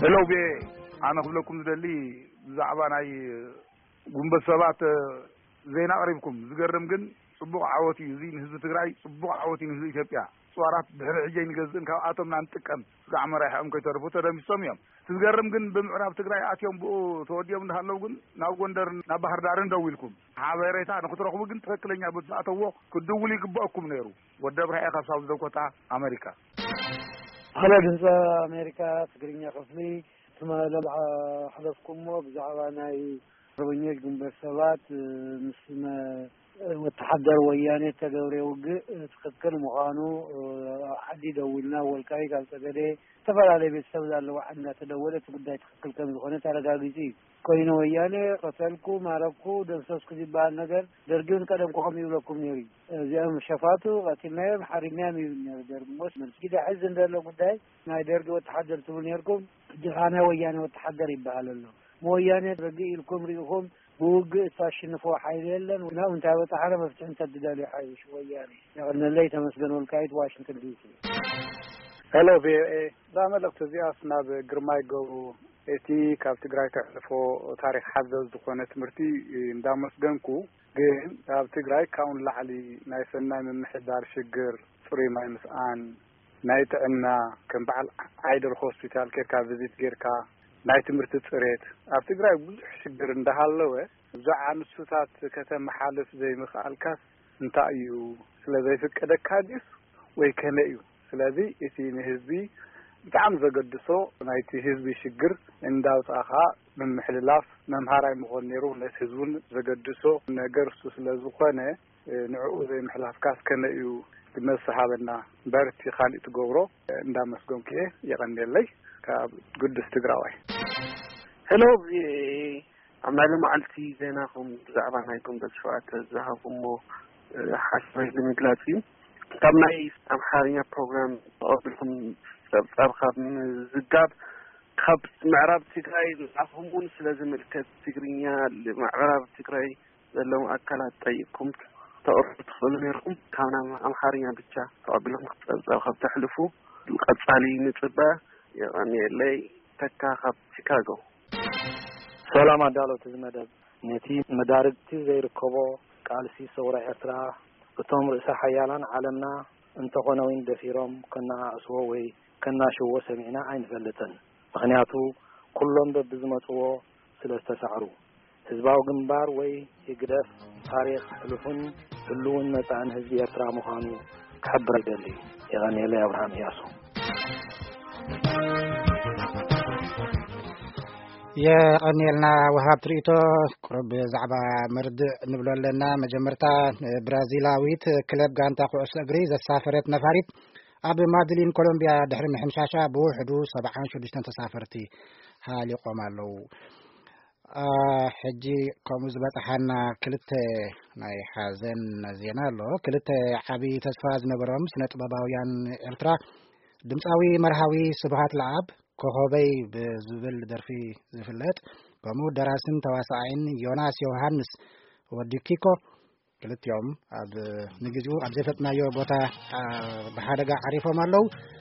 ሄሎ ቤ፣ ኣነ ክብለኩም ዝደሊ ብዛዕባ ናይ ጉንበት ሰባት ዜና ኣቕሪብኩም። ዝገርም ግን ጽቡቕ ዓወት እዩ። እዚ ንህዝቢ ትግራይ ጽቡቕ ዓወት እዩ፣ ንህዝቢ ኢትዮጵያ። ጽዋራት ድሕሪ ሕጂ ኣይንገዝእን፣ ካብኣቶም ኢና ንጥቀም። ስጋዕ መራሕኦም ከይተርፉ ተደምሲሶም እዮም። እቲ ዝገርም ግን ብምዕራብ ትግራይ ኣትዮም ብኡ ተወዲኦም እንዳሃለዉ ግን ናብ ጎንደርን ናብ ባህር ዳርን ደው ኢልኩም። ሓበሬታ ንክትረኽቡ ግን ትኽክለኛ በቲ ዝኣተዎ ክትድውሉ ይግበኣኩም ነይሩ። ወዲ ኣብርሃ እየ ካብ ሳውዝ ዳኮታ ኣመሪካ። ሃሎ ድምፂ ኣሜሪካ ትግርኛ ክፍሊ፣ ትማሊ ሓለፍኩሞ ብዛዕባ ናይ ኣርበኞች ግንቦት ሰባት ምስ መ- ወተሓደር ወያኔ ተገብረ ውግእ ትኽክል ምዃኑ ኣብ ዓዲ ደዊልና ወልቃይት ኣብ ፀገዴ ዝተፈላለዩ ቤተሰብ ዘለዎ ዓዲ እንዳተደወለ እቲ ጉዳይ ትኽክል ከም ዝኾነ ተረጋጊፁ እዩ። ኮይኑ ወያኔ ቀተልኩ፣ ማረኩ፣ ደምሰስኩ ዝበሃል ነገር ደርጊ እውን ቀደም ኮኸም ይብለኩም ነይሩ እዩ። እዚኦም ሸፋቱ ቀቲልናዮም ሓሪድናዮም ይብል ነይሩ ደርጊ። ሞስ መልስ ጊዳ ሕዚ እንደሎ ጉዳይ ናይ ደርጊ ወተሓደር ትብሉ ነይርኩም፣ ሕጂ ከዓ ናይ ወያኔ ወተሓደር ይበሃል ኣሎ። ብወያኔ ርግእ ኢልኩም ርኢኹም ብውግእ እታሽንፎ ሓይሊ የለን። ናብኡ እንታይ በፃሓና መፍትሒ እንተትደልዩ ሓይሽ ወያኔ። የቐነለይ። ተመስገን ወልቃይት ዋሽንግተን ዲሲ። ሄሎ ቪኦኤ፣ እዛ መልእኽቲ እዚኣስ ናብ ግርማይ ገብሩ፣ እቲ ካብ ትግራይ ተሕልፎ ታሪክ ሓዘል ዝኾነ ትምህርቲ እንዳመስገንኩ፣ ግን ኣብ ትግራይ ካብኡ ንላዕሊ ናይ ሰናይ ምምሕዳር ሽግር፣ ፅሩይ ማይ ምስኣን፣ ናይ ጥዕና ከም በዓል ዓይደር ሆስፒታል ኬድካ ቪዚት ጌርካ፣ ናይ ትምህርቲ ፅሬት፣ ኣብ ትግራይ ብዙሕ ሽግር እንዳሃለወ፣ ብዛዕባ ንሱታት ከተመሓልፍ ዘይምኽኣልካስ እንታይ እዩ? ስለ ዘይፍቀደካ ድዩስ ወይ ከመይ እዩ? ስለዚ እቲ ንህዝቢ ብጣዕሚ ዘገድሶ ናይቲ ህዝቢ ሽግር እንዳውፃእኻ ምምሕልላፍ መምሃራይ ምኾን ነይሩ። ነቲ ህዝቡን ዘገድሶ ነገር እሱ ስለ ዝኾነ፣ ንዕኡ ዘይምሕላፍካስ ከመይ እዩ? መልሲ ሃበና። በርቲ ካሊእ ትገብሮ እንዳመስገንኩ እየ። የቐንየለይ። ካብ ግዱስ ትግራዋይ። ሄሎ ቪኦኤ፣ ኣብ ናይ ሎማዓልቲ ዜናኹም ብዛዕባ ናይ ግንቦት ሸውዓተ ዝሃብኩሞ ሓሳብ ንምግላፅ እዩ። ካብ ናይ ኣምሓርኛ ፕሮግራም ተቐቢልኩም ፀብፃብ ካብ ምዝጋብ፣ ካብ ምዕራብ ትግራይ ንዓኹም እውን ስለ ዝምልከት ትግርኛ ምዕራብ ትግራይ ዘለዉ ኣካላት ጠይቅኩም ተቕርቡ ትኽእሉ ነይርኩም። ካብ ናይ ኣምሓርኛ ብቻ ተቐቢልኩም ክትፀብፀብ ካብ ተሕልፉ ቀፃሊ ንፅበ። የቐንየለይ። ተካ ካብ ቺካጎ። ሰላም ኣዳለውቲ እዚ መደብ፣ ነቲ መዳርግቲ ዘይርከቦ ቃልሲ ሰውራ ኤርትራ፣ እቶም ርእሰ ሓያላን ዓለምና እንተኾነ እውን ደፊሮም ከነኣእስዎ ወይ ከናሽዎ ሰሚዕና ኣይንፈልጥን። ምኽንያቱ ኩሎም በብዝመጽዎ ስለ ዝተሳዕሩ። ህዝባዊ ግንባር ወይ ህግደፍ ታሪኽ ሕሉፍን ህሉውን መጻእን ህዝቢ ኤርትራ ምዃኑ ክሕብር ይደሊ። የቐንየለይ። ኣብርሃም እያሱ። የቐንየልና ወሃብ ትርኢቶ። ቁሩብ ብዛዕባ መርድእ ንብሎ ኣለና። መጀመርታ ብራዚላዊት ክለብ ጋንታ ኩዕሶ እግሪ ዘሳፈረት ነፋሪት ኣብ ማድሊን ኮሎምቢያ ድሕሪ ምሕምሻሻ ብውሕዱ ሰብዓን ሽዱሽተን ተሳፈርቲ ሃሊቖም ኣለዉ። አ፣ ሕጂ ከምኡ ዝበጽሓና ክልተ ናይ ሓዘን ዜና ኣሎ። ክልተ ዓቢ ተስፋ ዝነበሮም ስነ ጥበባውያን ኤርትራ፣ ድምጻዊ መርሃዊ ስብሃት ለኣብ፣ ኮኾበይ ብዝብል ደርፊ ዝፍለጥ፣ ከምኡ ደራስን ተዋሳኣይን ዮናስ ዮሃንስ ወዲ ኪኮ፣ ክልቲኦም ኣብ ንግዚኡ ኣብ ዘይፈጥናዮ ቦታ፣ አ፣ ብሓደጋ ዓሪፎም ኣለዉ።